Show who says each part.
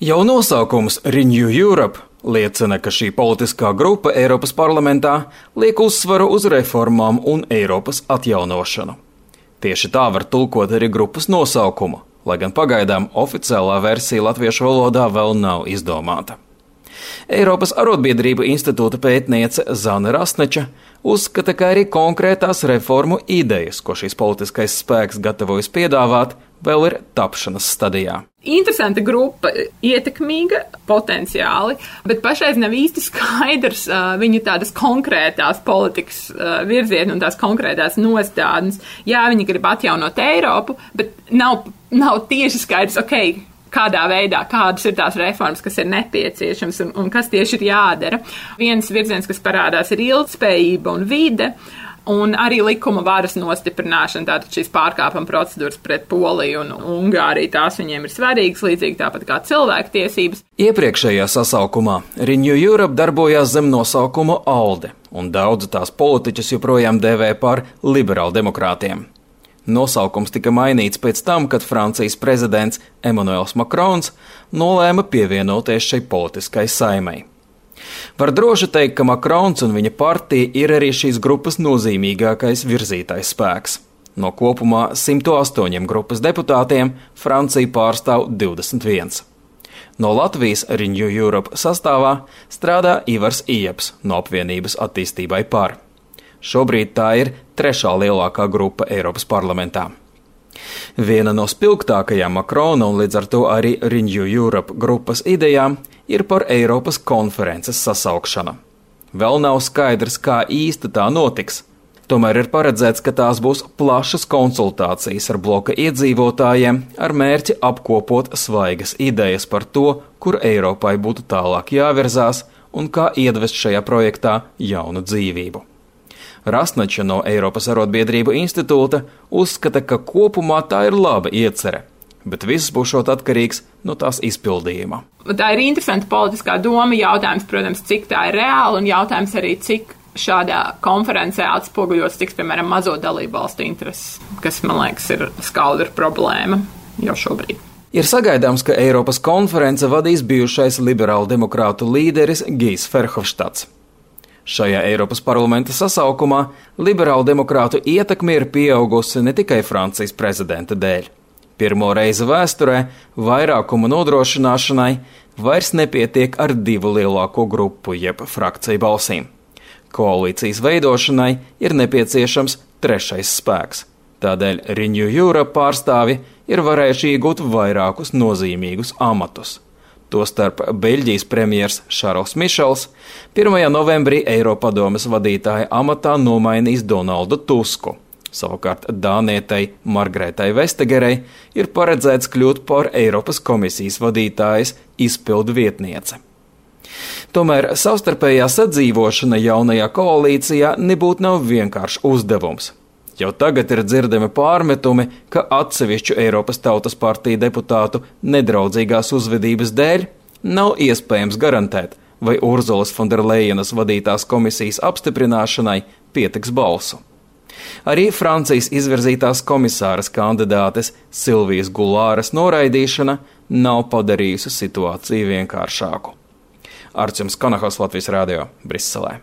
Speaker 1: Jau nosaukums Renew Europe liecina, ka šī politiskā grupa Eiropas parlamentā liek uzsvaru uz reformām un Eiropas atjaunošanu. Tieši tā var tulkot arī grupas nosaukumu, lai gan pagaidām oficiālā versija latviešu valodā vēl nav izdomāta. Eiropas arotbiedrību institūta pētniece Zane Rasneča uzskata, ka arī konkrētās reformu idejas, ko šīs politiskais spēks gatavojas piedāvāt, vēl ir tapšanas stadijā.
Speaker 2: Interesanta grupa, ietekmīga potenciāli, bet pašreiz nav īsti skaidrs viņu tādas konkrētās politikas virzieni un tās konkrētās nostādnes. Jā, viņi grib atjaunot Eiropu, bet nav tieši skaidrs, kādā veidā, kādas ir tās reformas, kas ir nepieciešams un kas tieši ir jādara. Viens virziens, kas parādās, ir ilgtspējība un vide, un arī likuma varas nostiprināšana, tātad šīs pārkāpuma procedūras pret Poliju un Ungāriju, tās viņiem ir svarīgas, līdzīgi tāpat kā cilvēktiesības.
Speaker 1: Iepriekšējā sasaukumā Renew Europe darbojās zem nosaukuma ALDE, un daudzi tās politiķus joprojām dēvē par liberāldemokrātiem. Nosaukums tika mainīts pēc tam, kad Francijas prezidents Emmanuels Macrons nolēma pievienoties šai politiskai saimei. Var droši teikt, ka Macrons un viņa partija ir arī šīs grupas nozīmīgākais virzītais spēks. No kopumā 108 grupas deputātiem Francija pārstāv 21. No Latvijas Renew Europe sastāvā strādā Ivars Ieps no apvienības attīstībai par. Šobrīd tā ir trešā lielākā grupa Eiropas parlamentā. Viena no spilgtākajām Macrona un līdz ar to arī Renew Europe grupas idejām ir par Eiropas konferences sasaukšanu. Vēl nav skaidrs, kā īsti tā notiks. Tomēr ir paredzēts, ka tās būs plašas konsultācijas ar bloka iedzīvotājiem ar mērķi apkopot svaigas idejas par to, kur Eiropai būtu tālāk jāvirzās un kā iedvest šajā projektā jaunu dzīvību. Rasneča no Eiropas arotbiedrību institūta uzskata, ka kopumā tā ir laba iecere, bet viss būšot atkarīgs no tās izpildījuma.
Speaker 2: Tā ir interesanta politiskā doma, jautājums, protams, cik tā ir reāla un jautājums arī, cik šādā konferencē atspoguļots tiks, piemēram, mazo dalību valstu intereses, kas, man liekas, ir skaudra problēma jau šobrīd.
Speaker 1: Ir sagaidāms, ka Eiropas konference vadīs bijušais liberālu demokrātu līderis Gijs Verhofstadts. Šajā Eiropas parlamenta sasaukumā liberālu demokrātu ietekme ir pieaugusi ne tikai Francijas prezidenta dēļ. Pirmo reizi vēsturē vairākuma nodrošināšanai vairs nepietiek ar 2 lielāko grupu jeb frakciju balsīm. Koalīcijas veidošanai ir nepieciešams 3. spēks. Tādēļ Renew Europe pārstāvi ir varējuši iegūt vairākus nozīmīgus amatus. Tostarp Beļģijas premjers Šarls Mišels 1. novembrī Eiropadomes vadītāja amatā nomainīs Donaldu Tusku. Savukārt Dānietei Margretai Vestagerei ir paredzēts kļūt par Eiropas komisijas vadītājas izpildu vietniece. Tomēr savstarpējā sadzīvošana jaunajā koalīcijā nebūtu nav vienkāršs uzdevums. Jau tagad ir dzirdami pārmetumi, ka atsevišķu Eiropas Tautas partiju deputātu nedraudzīgās uzvedības dēļ nav iespējams garantēt, vai Urzulas Fonderlejenas vadītās komisijas apstiprināšanai pietiks balsu. Arī Francijas izvirzītās komisāras kandidātes Silvijas Gulāras noraidīšana nav padarījusi situāciju vienkāršāku. Arčuns Kanahos, Latvijas radio, Briselē.